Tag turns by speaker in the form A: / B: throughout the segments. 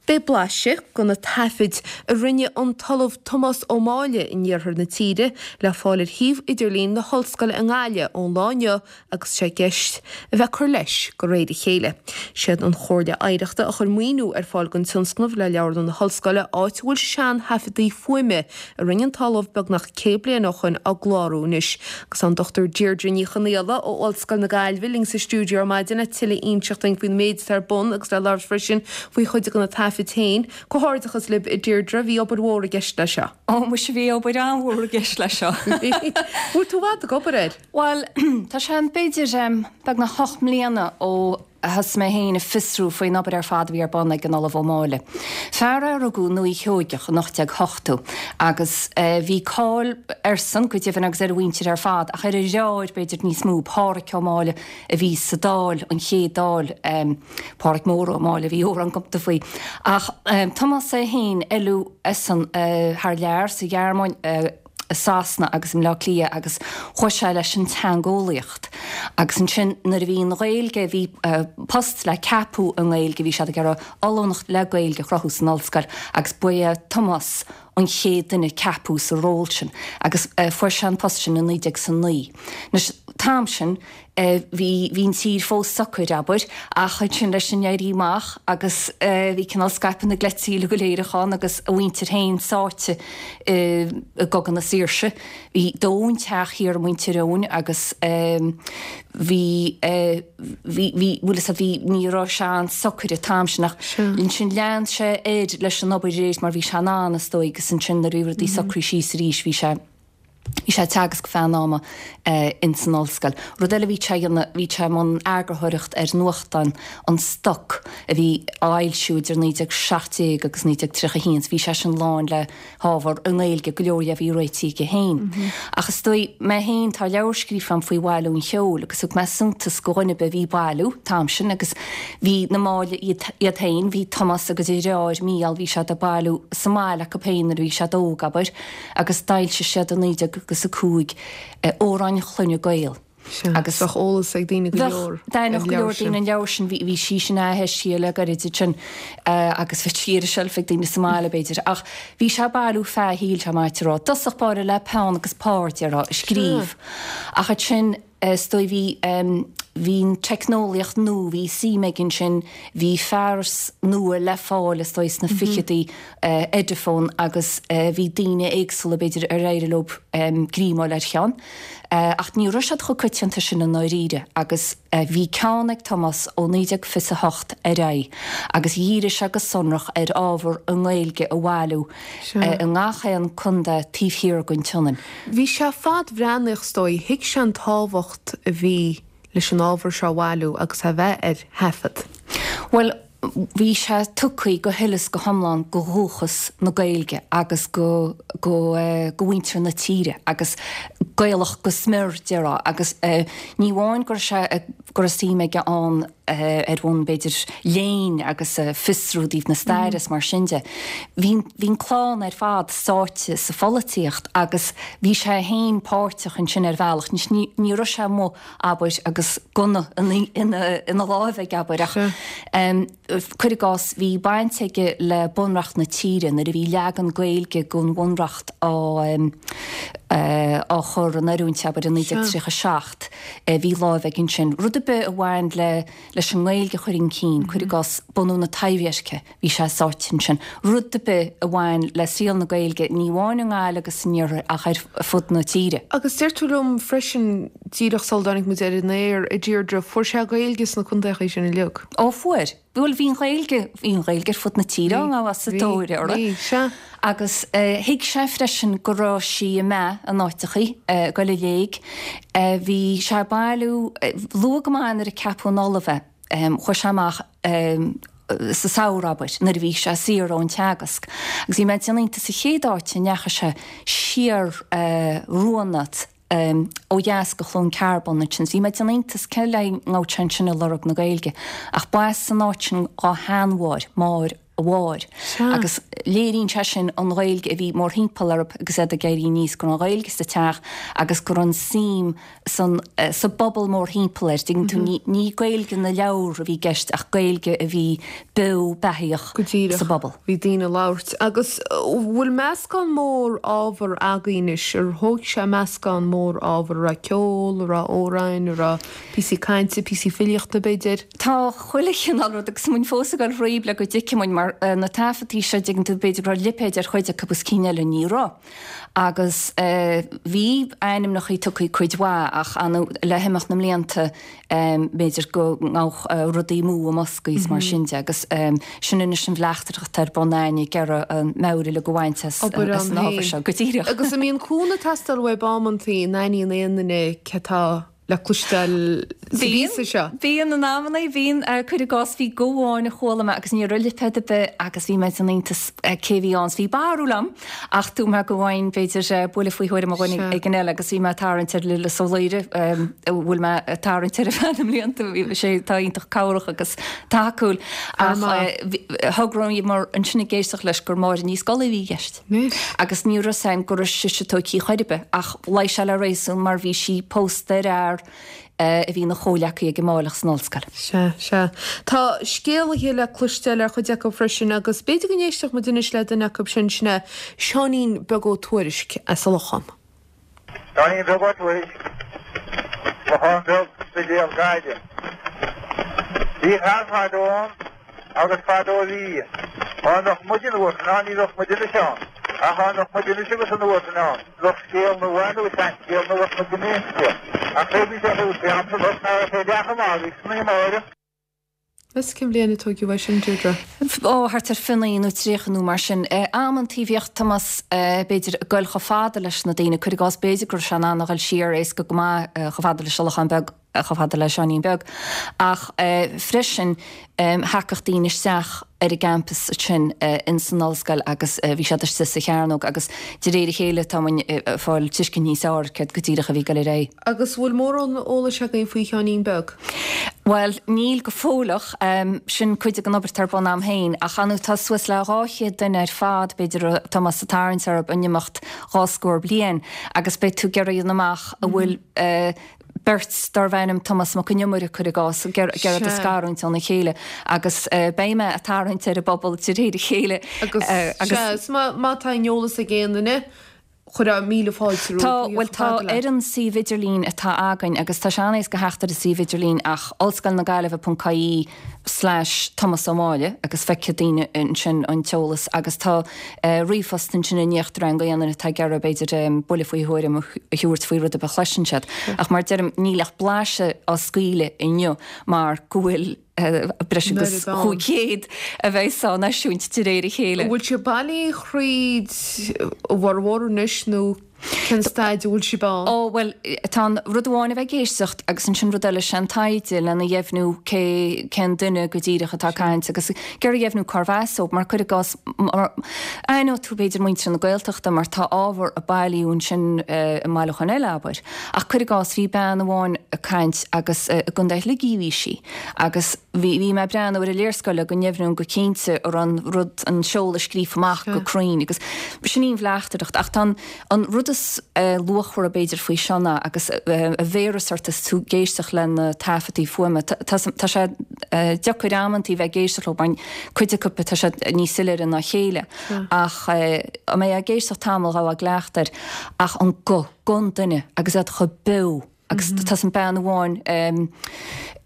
A: Beidh blaiseadh de na taifid a rinne an tOllamh Tomás Ó Máille in iarthar na tíre le fáil ar shuíomh idirlín na hOllscoile i nGaillimh ón lá inniu agus sé i gceist a bheith ag cur leis de réir a chéile. Siad an Chomhairle Oidhreachta a chuir maoiniú ar fáil don tionscnamh le Leabharlann na hOllscoile áit a bhfuil sean-thaifeadtaí fuaime a rinne an tOllamh beagnach 100 bliain ó shoin á gclárú anois. Agus tá an Dr Deirdre Ní Chonaola ó Ollscoil na Gaillimhe linn sa stiúideo ar maidin le tuilleadh a inseacht dúinn faoin méid atá ar bun agus le labhairt freisin faoi chuid de na taifid féin. Comhghairdeachas libh a Deirdre, bhí obair mhór i gceist leis seo.
B: Ó muise bhí obair an-mhór i gceist leis seo.
A: Bhfuil tú i bhfad ag obair air?
B: Bhuel, tá sé b'fhéidir beagnach 8 mbliana ó thosaigh mé féin ag fiosrú faoin obair ar fad a bhí ar bun ag an Ollamh Ó Máille. Fear é a rugadh i nDúiche Sheoigeach in 1880 agus bhí cáil airsean go deimhin agus ar a mhuintir ar fad ach ar a dheartháir b'fhéidir níos mó, Pádhraic Ó Máille a bhí sa Dáil, an chéad Dáil, Pádhraic Mór Ó Máille a bhí amhrán cumta faoi. Ach Tomás é féin, oileadh eisean thar lear, sa Ghearmáin, i Sasana agus i mBleá Cliath agus chuaigh sé leis an teangeolaíocht. Agus ansin nuair a bhí an Ghaeilge, bhí post le ceapadh i nGaeilge, bhí siad ag iarraidh ollúnacht le Gaeilge a chruthú san ollscoil agus ba é Tomás an chéad duine a ceapadh sa ról sin agus fuair sé an post sin i 1909. Anois, an t-am sin, Bhí, bhí an tír fós socair, abair, ach ansin leis an Éirí Amach agus bhí cineál scaipeadh na gcleití uilig go léir ann agus a mhuintir féin sáite i gCogadh na Saoirse. Bhí dódh an teach thiar i Muintir Eoghain agus bhí, bhí, bhí, bhfuil fhios agat, bhí, ní raibh sé an-socair an t-am sin ach ansin lean sé air leis an obair arís mar bhí sé in ann, is dóigh, agus ansin nuair a bhí rudaí socraithe síos arís bhí sé, Bhí sé ag teagasc feadh an ama ins an ollscoil. Rud eile a bhí sé a dhéanamh, bhí sé i mbun eagarthóireacht ar nuachtán An Stoc a bhí á fhoilsiú idir 1917 agus 1931 so bhí sé sin lán le hábhar i nGaeilge, go leor dhe a bhí réitithe aige féin. Ach is dóigh, mé féin, tá leabhar scríofa agam faoi bhailiú an cheoil agus thug mé suntas go dhuine ar bith a bhí ag bailiú an t-am sin agus bhí na Máille iad féin, bhí Tomás agus a dheartháir Mícheál, bhí siad ag bailiú sa mbaile acu féin nuair a bhí siad óg, abair. agus d'fhoilsigh siad i 1905 Amhráin Chloinne Gael.
A: Sea, agus bheadh eolas ag daoine go leor
B: ar an leabhar sin. An leabhar sin, bhí sí sin atheisithe le gairid ansin agus bhí sí ar an tseilf ag daoine sa mbaile b'fhéidir. Ach bhí sé ag bailiú feadh a shaoil, tá maith a rá. I dtosach báire le peann agus pár, déarfá, ag scríobh. Ach ansin, Is dóigh bhí, bhí an teicneolaíocht nua, bhí suim aige ansin, bhí fearas nua le fáil is dóigh sna ficheadaí, Ediphone agus bhí daoine éagsúla b'fhéidir ar éirigh leo greamáil ar cheann. Ach ní raibh siad chomh coitianta sin i ndáiríre agus bhí ceann ag Tomás ó 1928 ar aghaidh agus dhírigh sé go sonrach ar ábhar i nGaeilge a bhailiú i ngach aon contae taobh thiar den tSionainn.
A: Bhí sé fadbhreathnaíoch is dóigh, thuig sé an tábhacht a bhí leis an ábhar seo a bhailiú agus é a bheith ar thaifead.
B: Bhuel, bhí sé tugtha go huile is go hiomlán go dhúchas na Gaeilge agus go, go, go mhuintir na tíre agus Gaelach go smior, déarfá, agus ní amháin go raibh sé, go raibh suim aige ann ar bhonn, b'fhéidir, léinn agus fiosrú i dtaobh na staire is mar sin de. Bhí, bhí an clann ar fad sáite sa pholaitíocht agus bhí sé féin páirteach ansin ar bhealach. Anois ní, ní raibh sé amuigh, abair, agus gunna ina, ina, ina láimh aige, abair, ach cuir i gcás, bhí baint aige le Bunreacht na tíre nuair a bhí leagan Gaeilge den Bhunreacht á, á chur in oiriúint, abair, i 1937. Bhí láimh aige ansin. Rud ar bith a bhain le leis an nGaeilge a chur chun cinn, cuir i gcás, bunú na Taibhdheirce, bhí sé sáite ansin. Rud ar bith a bhain le saol na Gaeilge, ní amháin i nGaillimh agus san iarthar ach ar fud na tíre.
A: Agus deir tú liom freisin, díreach sula dtáinig muid ar an aer, a Deirdre, fuair sé Gaeilge sna contaechaí sin uilig.
B: Ó fuair. Bhuel, bhí an Ghaeilge, bhí an Ghaeilge ar fud na tíre á ngabháil sa tóir uirthi. Bhí, sea. Agus thuig sé freisin go raibh sí ag meath in áiteachaí, ag goil i léig. Bhí sé ag bailiú, luath go maith nuair a ceapadh ina ollamh é, chuaigh sé amach sa samhradh, abair, nuair a bhí sé saor ón teagasc. Agus bhí mé ag déanamh iontais sa chéad áit a ndeachaigh sé siar Ruanat, ó dheas go Chluain Cearbán ansin. Bhí mé ag déanamh iontais cé le ngabhadh sé ansin ag lorg na Gaeilge. Ach ba as an áit sin dhá sheanmháthair, Máire. a mháthair. Agus léiríonn sé sin an Ghaeilge a bhí mórthimpeall orthu agus iad ag éirí aníos, go raibh an Ghaeilge sa teach agus go raibh an suim san, sa bpobal mórthimpeall air. Dtuigeann tú, ní, ní Gaeilge na leabhar a bhí i gceist ach Gaeilge a bhí beo beathaíoch
A: Go díreach.
B: sa bpobal.
A: Bhí daoine ag labhairt. Agus bhfuil meascán mór ábhar againn anois? Ar thóg sé meascán mór ábhar? An raibh ceol, an raibh amhráin, an raibh píosaí cainte, píosaí filíochta b'fhéidir?
B: Tá chuile chineál rud agus muid fós ag dul thríob le go dtuigfidh muid mar na taifeadtaí seo, dtuigeann tú, b'fhéidir go raibh lipéid ar chuid acu agus cinn eile ní raibh. Agus bhí ainmneachaí tugthaí cuid mhaith ach le himeacht na mblianta b'fhéidir go ngabhadh rudaí amú i mboscaí is mar sin de agus sin anois an bhleachtaireacht atá ar bun a'ainn ag iarraidh an meabhair uilig a bhaint as
A: Obair
B: an
A: ann
B: ábhar
A: féin.
B: seo go díreach.
A: Agus an mbíonn cúnamh ag teastáil uaibh amantaí an aithníonn aon duine cé atá le cloisteáil sa
B: Bíonn,
A: bpíosa seo.
B: bíonn in amannaí, bíonn, cuir i gcás, bhí guth amháin a chuala mé agus ní raibh lipéad ar bith agus bhí mé san iontas cé a bhí ann. Bhí barúil a'm ach dúirt mé go bhfaighinn, b'fhéidir, buille faoi thuairim ó dhuine
A: Sea.
B: éigin eile agus bhí mé ag tarraingt ar Lillis Ó Laoire, a bhfuil mé ag tarraingt air ar feadh na mblianta, bhí sé, tá iontach cabhrach agus tacúil
A: Fear
B: ach
A: maith.
B: bhí, thograíomar ansin ag éisteacht leis gur Máire Ní Scolaí a bhí i gceist.
A: Anois.
B: Agus ní raibh 'fhios a'm go raibh sise tóigthí chor ar bith, ach luigh sé le réasún mar bhí sí pósta ar fhear a bhí ina chomhleacaí ag an Máilleach san ollscoil.
A: Sea, sea. Tá scéalaithe le cloisteáil ar chuid acu freisin agus b'fhéidir go n-éistfeadh muid anois le duine acu sin, sin é Seáinín Beag Ó Tuairisg as an Lochán.
C: Seáinín Beag Ó Tuairisg, Lochán Beag, Spidéal, Gaillimh. Bhí fear fadó ann agus fadó a bhí. Dhá mbeadh muid an uair sin ann ní bheadh muid anois ann. Ach dhá mbeadh muid anois agus an uair sin ann bheadh scéal nua nó seanscéal nua bheadh muid in inste. Ach cé bhí sé thuas fé am san ná raibh sé leath chomh maith agus na Máire.
A: Is cén bhliain a tóigeadh é sin, Deirdre?
B: Ó, thart ar 29 nó 30 nó mar sin. Amantaí bhíodh Tomás, b'fhéidir, ag goil chomh fada leis na daoine, cuir i gcás, b'fhéidir go raibh sé in ann a ghoil siar éasca go maith chomh fada leis an Lochán Beag, chomh fada le Seáinín Beag. Ach freisin, thagadh daoine isteach ar an gcampas ansin ins an ollscoil agus bhí siad istigh sa chearnóg agus de réir a chéile tá muinn ag fáil tuiscint níos fearr céard go díreach a bhí ag goil ar aghaidh.
A: Agus bhfuil mórán eolais againn faoi Sheáinín Beag?
B: Bhuel, níl go fóilleach. Sin cuid den obair atá ar bun a'm féin. Ach ar ndóigh tá suas le 200 duine ar fad, b'fhéidir, a raibh Tomás ag tarraingt orthu in imeacht dhá scór bliain agus beidh tú ag iarraidh a dhéanamh amach an bhfuil beirt darbh ainm Tomás Mac Con Iomaire, cuir i gcás, ag iarraidh a scarúint óna chéile agus beidh mé ag tarraingt ar an bpobal de réir a chéile.
A: Agus, sea, is má tá aon eolas ag aon duine, Chuirfeá míle fáilte rompu.
B: Tá, bhuel tá ar an suíomh idirlín atá againn agus tá sé an-éasca theacht ar an suíomh idirlín ach Ollscoil na Gaillimhe ponc ie slash Tomás Ó Máille agus feicfidh daoine ansin an t-eolas agus tá ríomhphost ansin in íochtar ann go aon duine atá ag iarraidh b'fhéidir buille faoi thuairim a thabhairt faoi rud ar bith a chloiseann siad. Ach mar deirim níl ach blaiseadh á scaoileadh inniu mar go bhfuil breis agus 500 a bheas á n-eisiúint de réir a chéile.
A: An bhfuil siad bailithe thríd a bhformhór anois nó cén staid a bhfuil sibh ann?
B: Ó, bhuel, tá an rud amháin a bheith ag éisteacht agus ansin rud eile, sé an taighde lena dheimhniú cé, cén duine go díreach atá ag caint agus ag iarraidh a dheimhniú cárbh as dóibh, mar cuir i gcás, aithneoidh tú b'fhéidir muintir na Gaeltachta mar tá ábhar a bailíodh ansin i mbailiúchán eile, abair. Ach cuir i gcás, bhí bean amháin ag caint agus i gContae Shligigh a bhí sí. Agus bhí, bhí mé ag breathnú ar an léarscáil le go ndeimhneoinn go cinnte an raibh an rud, an seoladh scríofa amach go cruinn agus sin í an bhleachtaireacht. Ach tá an, an rud is luachmhara b'fhéidir faoi seo ná, agus a bhéaras ort is tú ag éisteacht le na taifeadtaí fuaime, tá, tá sé deacair amantaí bheith ag éisteacht leo mar cuid acu tá siad níos soiléire ná a chéile. Ach a mbeidh ag éisteacht tamall ghabhfá i gcleachtadh air. Ach an guth, guth an duine agus iad chomh beo. Agus tá san bean amháin,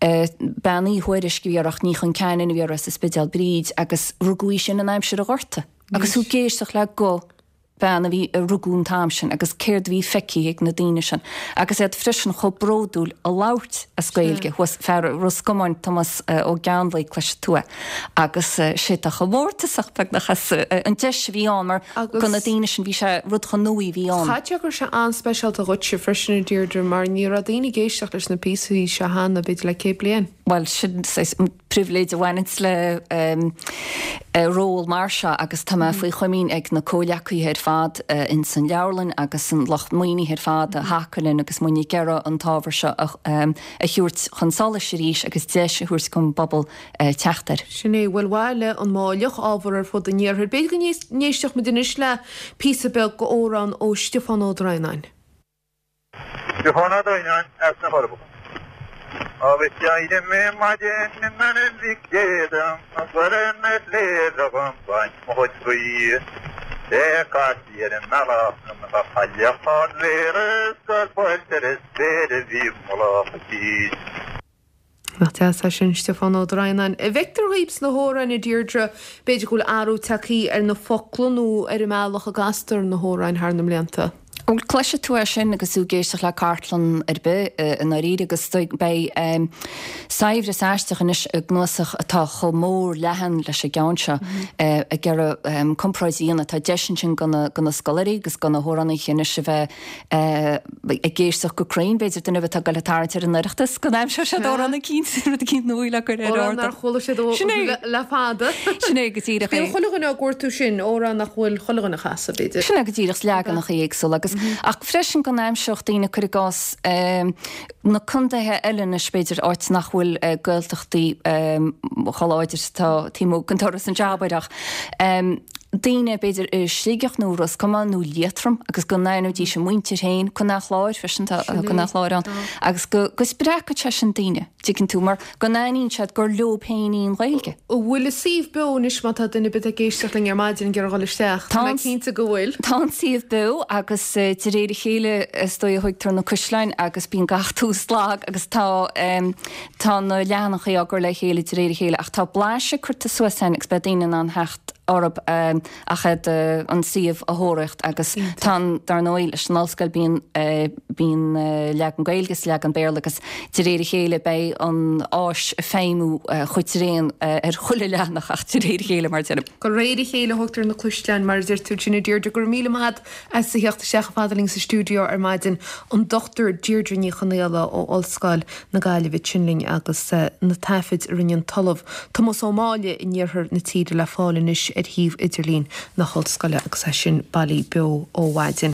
B: Bean Uí Thuairisg a bhí uirthi ach Ní Chon Ceanainn a bhí uirthi as an Spidéal, Bríd, agus rugadh í sin in aimsir an Ghorta. Agus tú ag éisteacht le guth bean a bhí, a rugadh an t-am sin agus céard a bhí feicthe ag na daoine sin. Agus iad freisin chomh bródúil a labhairt as Gaeilge. Thuas, fear Ros Comáin, Tomás Ó Geannlaí, cloisfidh tú é. Agus sé tá chomh mórtasach beagnach as an deis a bhí ann mar do na daoine sin bhí sé rud chomh nua a bhí ann.
A: Chaithfeadh sé go raibh sé an-speisialta dhuitse freisin a Deirdre mar ní raibh daoine ag éisteacht leis na píosaí seo cheana b'fhéidir le 100 bliain.
B: Bhuel sin saghas pribhléid a bhaineanns le ról mar seo agus tá mé faoi chomaoin ag na comhleacaithe ar fad. fad ins an leabharlann agus an lucht maoinithe ar fad a thacaigh linn agus muid ag iarraidh an t-ábhar seo a thabhairt chun solais arís agus deis a thabhairt don bpobal teacht air.
A: Sin é, bhuel bhailigh an Máilleach ábhar ar fud an iarthair. B'fhéidir go n-éistfeadh muid anois le píosa beag d'amhrán ó Stiofán Ó Droighneáin.
C: Stiofán Ó Droighneáin as na Forbacha. Agus d'éirigh mé maidin in ainm Mhic Dé dom a gcur ar na sléibhe dhom baint mo chuid buí. Sé caistí ar an mbealach liom a chailleach ard mhéara is gur buailte ar an spéir a bhí mullach a cinn.
A: Nach deas é sin, Stiofán Ó Droighneáin. An bhfeictear dhaoib sna hamhráin, a Deirdre, b'fhéidir go bhfuil athrú tagthaí ar na focla nó ar an mbealach a gcastar na hamhráin thar na mblianta?
B: Bhuel, cloisfidh tú é sin agus tú ag éisteacht le cartlann ar bith, i ndáiríre, agus beidh saibhreas aisteach anois i gcnuasach atá chomh mór leathan leis an gceann seo, ag iarraidh comparáid a dhéanamh. Tá deis ansin do na scoláirí agus do na hamhránaithe anois a bheith ag éisteacht go cruinn, b'fhéidir, duine ar bith atá ag goil ag tarraingt ar an Oireachtas go n-aimseodh siad amhrán eicínt, rud eicínt nua le cur ar
A: Amhrán nár chuala siad le fada.
B: Sin é go díreach é.
A: Bíonn chuile dhuine á gcuartú sin, amhrán nach bhfuil chuile dhuine a chasadh, b'fhéidir.
B: Sin é go díreach, leaganacha éagsúla agus, ach freisin go n-aimseodh daoine, cuir i gcás, na contaetha eile anois, b'fhéidir, áit nach bhfuil Gaeltachtaí chomh láidir is atá taobh amuigh den doras anseo, abair, ach daoine, b'fhéidir, i Sligeach nó Ros Comáin nó Liatroim agus go n-aithneoidís a muintir féin, Contae an Chláir freisin, tá Contae an Chláir ann, agus go go spreagfadh sé sin daoine, tuigeann tú, mar go n-aithníonn siad gur leo féin í an Ghaeilge.
A: An bhfuil an suíomh beo anois má tá duine ar bith ag éisteacht linn ar maidin ag iarraidh dhul isteach? Tá mé cinnte go bhfuil.
B: Tá an suíomh beo agus de réir a chéile is dóigh a thóigtear na caisleáin agus bíonn gach tús lag agus tá Tá na leathanachaí á gcur le chéile de réir a chéile ach tá blaiseadh curtha suas ann agus beidh daoine in ann theacht orthu ach iad an suíomh a thóraíocht agus tá an, dar ndóigh, leis an ollscoil bíonn bíonn leagan Gaeilge is leagan Béarla agus de réir a chéile beidh an áis ag feidhmiú chomh tréan ar chuile leathanach ach de réir a chéile mar a deirim.
A: De réir a chéile a thógtar na caisleáin mar a deir tú. Sin a Deirdre, go raibh míle maith agat as a theacht isteach chomh fada linn sa stiúideo ar maidin, an Dr Deirdre Ní Chonaola ó Ollscoil na Gaillimhe ansin linn agus na taifid a rinne an tOllamh Tomás Ó Máille in iarthar na tíre le fáil anois ar shuíomh idirlín na hOllscoile agus é sin bailí beo ó mhaidin.